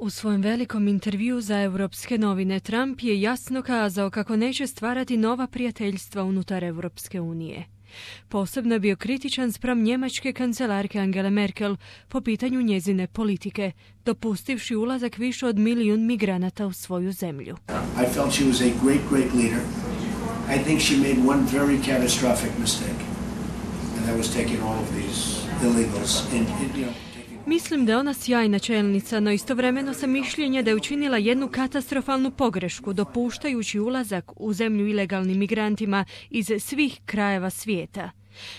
U svojem velikom intervjuu za Europske novine Trump je jasno kazao kako neće stvarati nova prijateljstva unutar Europske unije. Posebno je bio kritičan spram njemačke kancelarke Angele Merkel po pitanju njezine politike, dopustivši ulazak više od 1 milijun migranata u svoju zemlju. I felt she was a great leader. I think she made one very catastrophic mistake, and that was taking all of these illegals Mislim da je ona sjajna čelnica, no istovremeno sam mišljenja da je učinila jednu katastrofalnu pogrešku, dopuštajući ulazak u zemlju ilegalnim migrantima iz svih krajeva svijeta.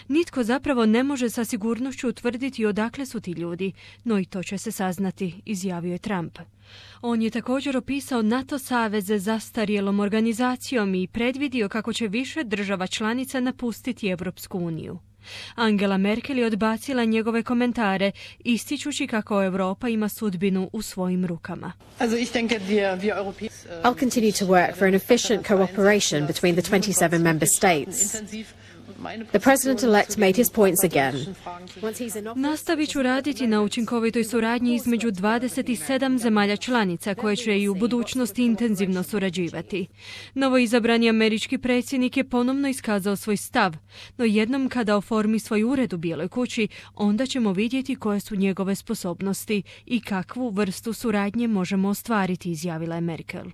Nitko zapravo ne može sa sigurnošću utvrditi odakle su ti ljudi, no i to će se saznati, izjavio je Trump. On je također opisao NATO saveze zastarjelom organizacijom i predvidio kako će više država članica napustiti Europsku uniju. Angela Merkel je odbacila njegove komentare, ističući kako Europa ima sudbinu u svojim rukama. I'll continue to work for an efficient cooperation between the 27 member states. The president-elect made his points again. Nastavit ću raditi na učinkovitoj suradnji između 27 zemalja članica koje će i u budućnosti intenzivno surađivati. Novoizabrani američki predsjednik je ponovno iskazao svoj stav, no jednom kada oformi svoj ured u Bijeloj kući, onda ćemo vidjeti koje su njegove sposobnosti i kakvu vrstu suradnje možemo ostvariti, izjavila je Merkel.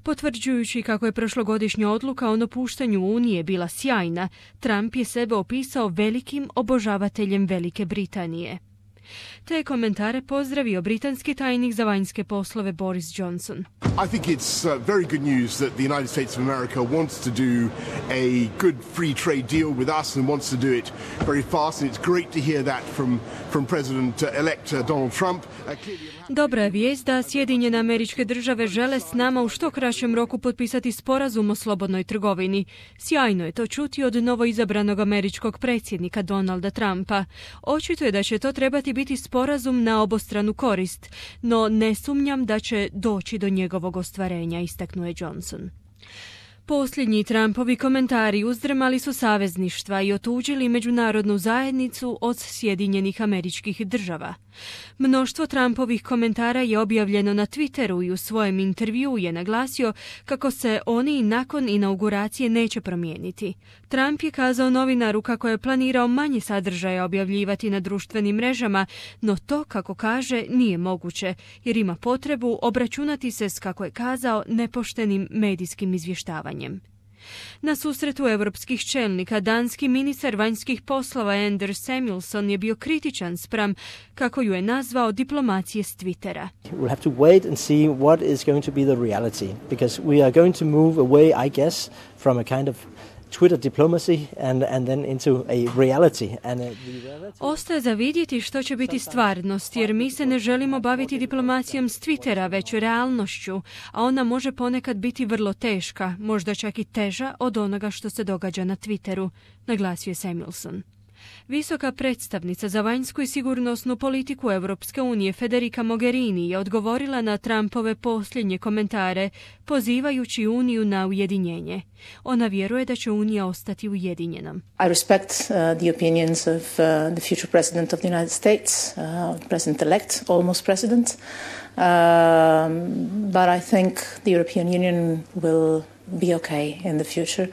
Potvrđujući kako je prošlogodišnja odluka o napuštanju Unije bila sjajna, Trump je sebe opisao velikim obožavateljem Velike Britanije. Te komentare pozdravio britanski tajnik za vanjske poslove Boris Johnson. I think it's very good news that the United States of America wants to do a good free trade deal with us and wants to do it very fast, and it's great to hear that from President-elect Donald Trump. Dobra je vijest da Sjedinjene Američke Države žele s nama u što kraćem roku potpisati sporazum o slobodnoj trgovini. Sjajno je to čuti od novoizabranog američkog predsjednika Donalda Trumpa. Očito je da će to trebati biti sporazum na obostranu korist, no ne sumnjam da će doći do njegovog ostvarenja, istaknuo je Johnson. Posljednji Trumpovi komentari uzdrmali su savezništva i otuđili međunarodnu zajednicu od Sjedinjenih Američkih Država. Mnoštvo Trumpovih komentara je objavljeno na Twitteru i u svojem intervjuu je naglasio kako se oni nakon inauguracije neće promijeniti. Trump je kazao novinaru kako je planirao manje sadržaja objavljivati na društvenim mrežama, no to, kako kaže, nije moguće, jer ima potrebu obračunati se s, kako je kazao, nepoštenim medijskim izvještavanjem. Na susretu europskih čelnika danski ministar vanjskih poslova Anders Samuelsson je bio kritičan spram, kako ju je nazvao, diplomacije s Twittera. We'll have to wait and see what is going to be the reality, because we are going to move away, I guess, from a kind of Twitter diplomacy and then into a reality. Ostaje za vidjeti što će biti stvarnost, jer mi se ne želimo baviti diplomacijom s Twittera, već realnošću, a ona može ponekad biti vrlo teška, možda čak i teža od onoga što se događa na Twitteru, naglasio je Samuelsson. Visoka predstavnica za vanjsku i sigurnosnu politiku Europske unije Federica Mogherini je odgovorila na Trumpove posljednje komentare, pozivajući Uniju na ujedinjenje. Ona vjeruje da će Unija ostati ujedinjena. I respect the opinions of the future president of the United States, president-elect, almost president, but I think the European Union will be okay in the future.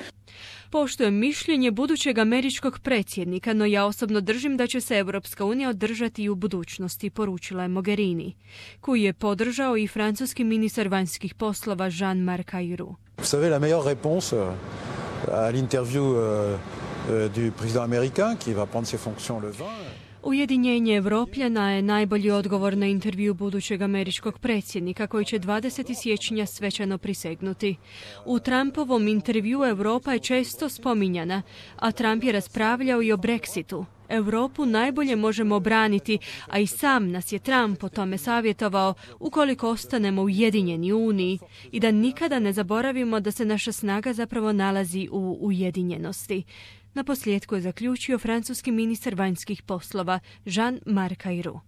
Poštujem mišljenje budućeg američkog predsjednika, no ja osobno držim da će se Europska unija održati i u budućnosti, poručila je Mogherini, koju je podržao i francuski ministar vanjskih poslova Jean-Marc Ayrault. Vous savez, la meilleure réponse à l'interview du président américain qui va prendre ses fonctions le 20. Ujedinjenje Evropljana je najbolji odgovor na intervju budućeg američkog predsjednika koji će 20. siječnja svečano prisegnuti. U Trumpovom intervjuu Europa je često spominjana, a Trump je raspravljao i o Brexitu. Europu najbolje možemo obraniti, a i sam nas je Trump o tome savjetovao ukoliko ostanemo ujedinjeni u Uniji i da nikada ne zaboravimo da se naša snaga zapravo nalazi u ujedinjenosti. Naposljetku je zaključio francuski ministar vanjskih poslova Jean-Marc Ayrault.